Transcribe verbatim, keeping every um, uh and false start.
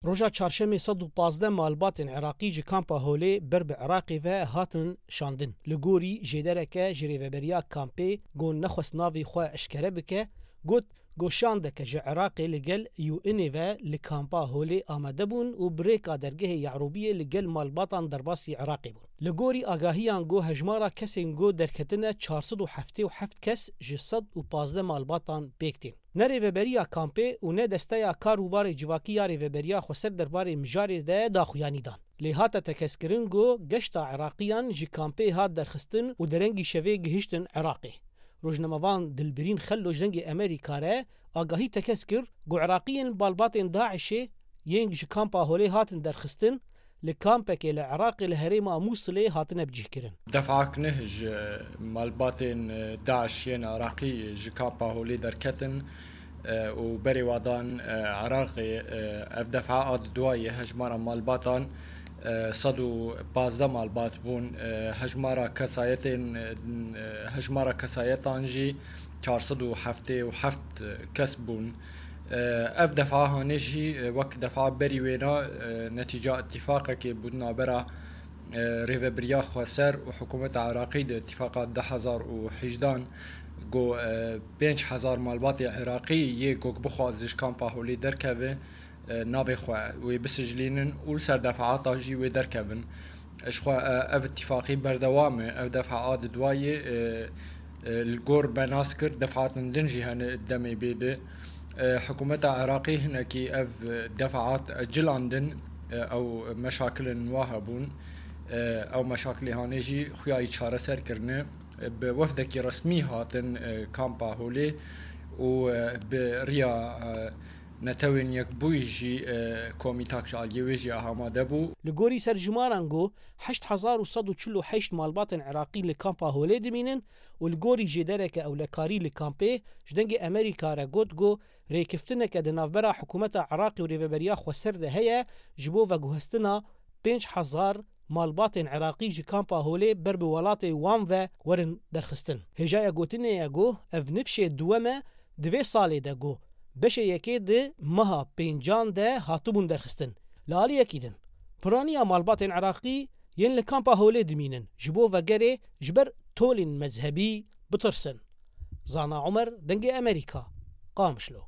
Roja çarşemê sed û pazdeh malbatên Iraqî ji kampa Holê ber bi Iraqê ve hatin şandin. Li gorî jêdereke ji rêveberiya kampê, ku nexwest navê xwe eşkere bike, got, ku şandeke ji Iraqê li gel U N'ê ve li kampa Holê amade bûn û bi rêka dergehê Ye'rûbiyê li gel malbatan derbasî Iraqê bûn. Li gorî agahiyan, ku hejmara kesên ku derketine çar sed û heftê û heft kes ji sed û pazdeh malbatan pêk tên. Ne rêveberiya kampê û ne desteya kar û barê civakî ya Rêveberiya Xweser derbarê mijarê de daxuyanî dan. Lê hate tekez kirin ku geşta Iraqiyan ji kampê hat derxistin û derengî şevê gihiştin Iraqê. Rojnamevan Dilbirîn Xello ji Dengê Amerîka re agahî tekez kir ku Iraqiyên malbatên DAIŞ'ê yên ji kampa Holê hatin derxistin, li kampekê li Iraqê li herêma Mûsilê hatine bicihkirin. Defak neh ji malbatên, e, DAIŞ yên Iraqî ji kampa Holê derketin, e, û berê wa dan, e, Iraqê, e, ev defa a di duayê hejmara malbatan, e, sed û pazdeh malbat bûn. E, hejmara kesayetên, e, hejmara kesayetan jî çar sed û heftê û heft kes bûn. E, ev defa hanê jî, e, wek defa berî wêna, e, netîca îtîfaqekê bû di navbera, e, Rêveberiya Xweser û Hikûmeta Iraqî de, îtîfaqa du hezar û hejdehan, ku, e, pênc hezar malbatê Iraqî yê ku bixwaze ji kampa Holê derkeve, e, navê xwe wê bisijlînin û li ser defaata jî wê derkevin. Ji xwe, e, ev îtîfaqî berdewam e. Ev defa a di duayê, e, e, li gor me nas kir, defatin din jî hene demê bê de. E, hikûmeta Iraqê hinekî ev defaat cilandin, e, ew meşakilin wa hebûn. E, ew meşakilê hanê jî xuya yî çareser kirine. E, bi wefdekî resmî hatin, e, kampa Holê û, e, bi riya, e, Netewên Yekbûyî jî, e, komîtak ji aliyê wê jî amade bû. Li gorî serjimaran ku heşt hezar û sed û çil û heşt malbatên Iraqî li kampa Holê dimînin û li gorî jêdereke ewlekarî li kampê ji Dengê Amerîka re got ku rêkeftineke di navbera hikûmeta Iraqê û Rêveberiya Xweser de heye ji bo veguhestina pênc hezar malbatên Iraqî ji kampa Holê ber bi welatê wan ve werin derxistin. Hêjaya gotinê ye ku ev nifşê duwem e di vê salê de ku beşê yekê di meha pêncan de hatibûn derxistin. Li aliyekî din, piraniya malbatên Iraqî yên li kampa Holê dimînin ji bo vegerê ji ber tolên mezhebî bitirsin. Zana Omer, Dengê Amerîka, Qamişlo.